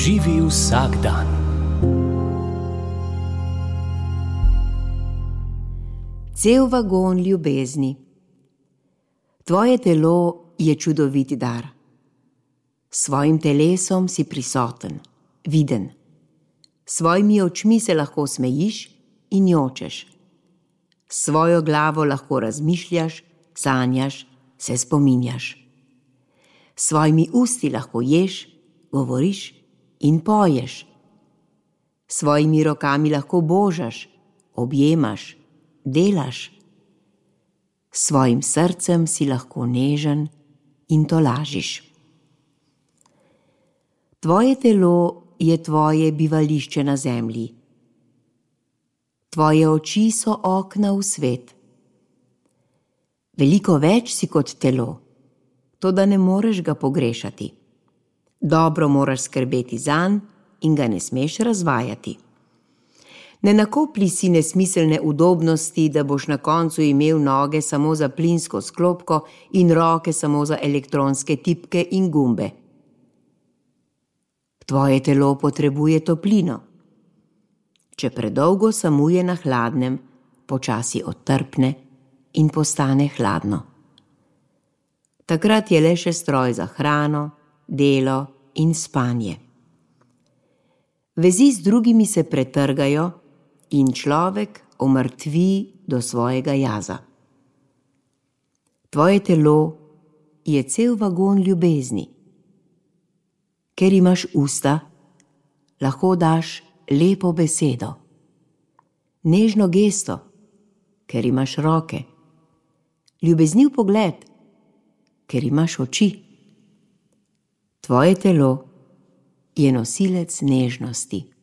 Živi vsak dan. Cel vagon ljubezni. Tvoje telo je čudovit dar. S svojim telesom si prisoten, viden. S svojimi očmi se lahko smejiš in jočeš. S svojo glavo lahko razmišljaš, sanjaš, se spominjaš. S svojimi usti lahko ješ, govoriš in poješ. S svojimi rokami lahko božaš, objemaš, delaš. S svojim srcem si lahko nežen in tolažiš. Tvoje telo je tvoje bivališče na zemlji. Tvoje oči so okna v svet. Veliko več si kot telo, toda ne moreš ga pogrešati. Dobro moraš skrbeti zanj in ga ne smeš razvajati. Ne nakoplji si nesmiselne udobnosti, da boš na koncu imel noge samo za plinsko sklopko in roke samo za elektronske tipke in gumbe. Tvoje telo potrebuje toplino. Če predolgo samuje na hladnem, počasi odtrpne in postane hladno. Takrat je le še stroj za hrano, delo in spanje. Vezi z drugimi se pretrgajo in človek omrtvi do svojega jaza. Tvoje telo je cel vagon ljubezni. Ker imaš usta, lahko daš lepo besedo. Nežno gesto, ker imaš roke. Ljubezniv pogled, ker imaš oči. Tvoje telo je nosilec nežnosti.